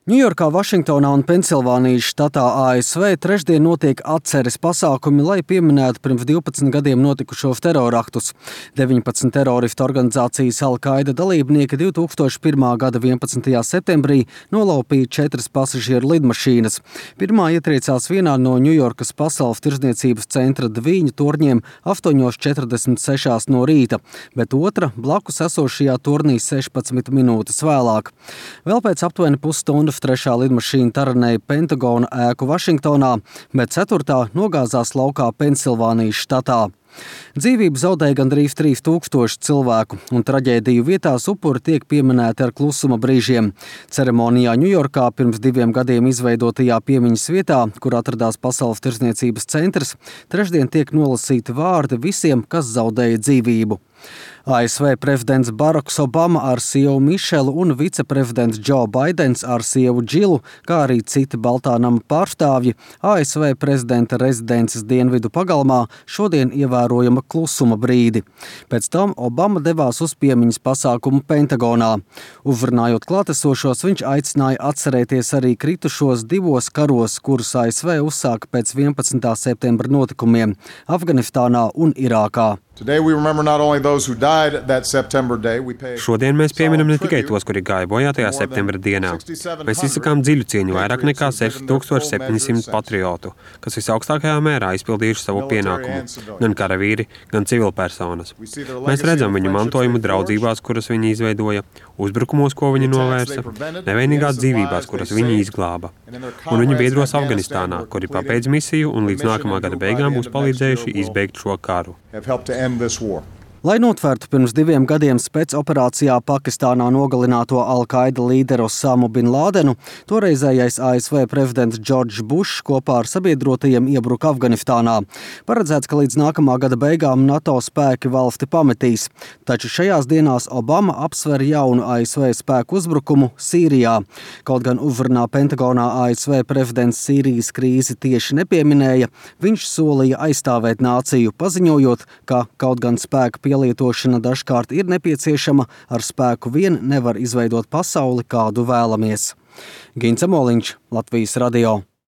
Ņujorkā, Vašingtonā un Pensilvānijas štatā ASV trešdien notiek atceres pasākumi, lai pieminētu pirms 12 gadiem notikušos teroraktus. 19 teroristu organizācijas Al-Qaida dalībnieki 2001. gada 11. septembrī nolaupīja 4 pasažieru lidmašīnas. Pirmā ietriecās vienā no Ņujorkas Pasaules tirdzniecības centra dviņu torņiem 8:46 no rīta, bet otra blakus esošajā tornī 16 minūtes vēlāk. Vēl pēc aptuveni pusstundas trešā lidmašīna taranēja Pentagona ēku Vašingtonā, bet ceturtā nogāzās laukā Pensilvānijas štatā. Dzīvību zaudēja gandrīz 3000 cilvēku, un traģēdiju vietās upuri tiek pieminēti ar klusuma brīžiem. Ceremonijā Ņujorkā pirms 2 gadiem izveidotajā piemiņas vietā, kur atradās Pasaules tirdzniecības centrs, trešdien tiek nolasīti vārdi visiem, kas zaudēja dzīvību. ASV prezidents Baraks Obama ar sievu Mišelu un viceprezidents Džo Baidens ar sievu Džilu, kā arī citi Baltā nama pārstāvji, ASV prezidenta rezidences dienvidu pagalmā šodien ievērojama klusuma brīdi. Pēc tam Obama devās uz piemiņas pasākumu Pentagonā. Uzrunājot klātesošos, viņš aicināja atcerēties arī kritušos 2 karos, kurus ASV uzsāka pēc 11. septembra notikumiem Afganistānā un Irākā. Šodien mēs pieminam ne tikai tos, kuri gāja bojā tajā septembra dienā. Mēs izsakām dziļu cieņu vairāk nekā 6700 patriotu, kas visaugstākajā mērā izpildījuši savu pienākumu, gan karavīri, gan civilpersonas. Mēs redzam viņu mantojumu draudzībās, kuras viņi izveidoja, uzbrukumos, ko viņi novērsa, nevainīgās dzīvībās, kuras viņi izglāba, un viņu biedros Afganistānā, kuri pabeidz misiju un līdz nākamā gada beigām būs palīdzējuši izbeigt šo karu. Lai notvērtu pirms 2 gadiem spēcoperācijā Pakistānā nogalināto Al-Qaida līderu Osamu bin Lādenu, toreizējais ASV prezidents Džordžs Bušs kopā ar sabiedrotajiem iebruka Afganistānā. Paredzēts, ka līdz nākamā gada beigām NATO spēki valsti pametīs. Taču šajās dienās Obama apsver jaunu ASV spēku uzbrukumu Sīrijā. Kaut gan uzrunā Pentagonā ASV prezidents Sīrijas krīzi tieši nepieminēja, viņš solīja aizstāvēt nāciju, paziņojot, ka kaut gan spēka pielietošana dažkārt ir nepieciešama, ar spēku vien nevar izveidot pasauli, kādu vēlamies. Gints Amoliņš, Latvijas radio.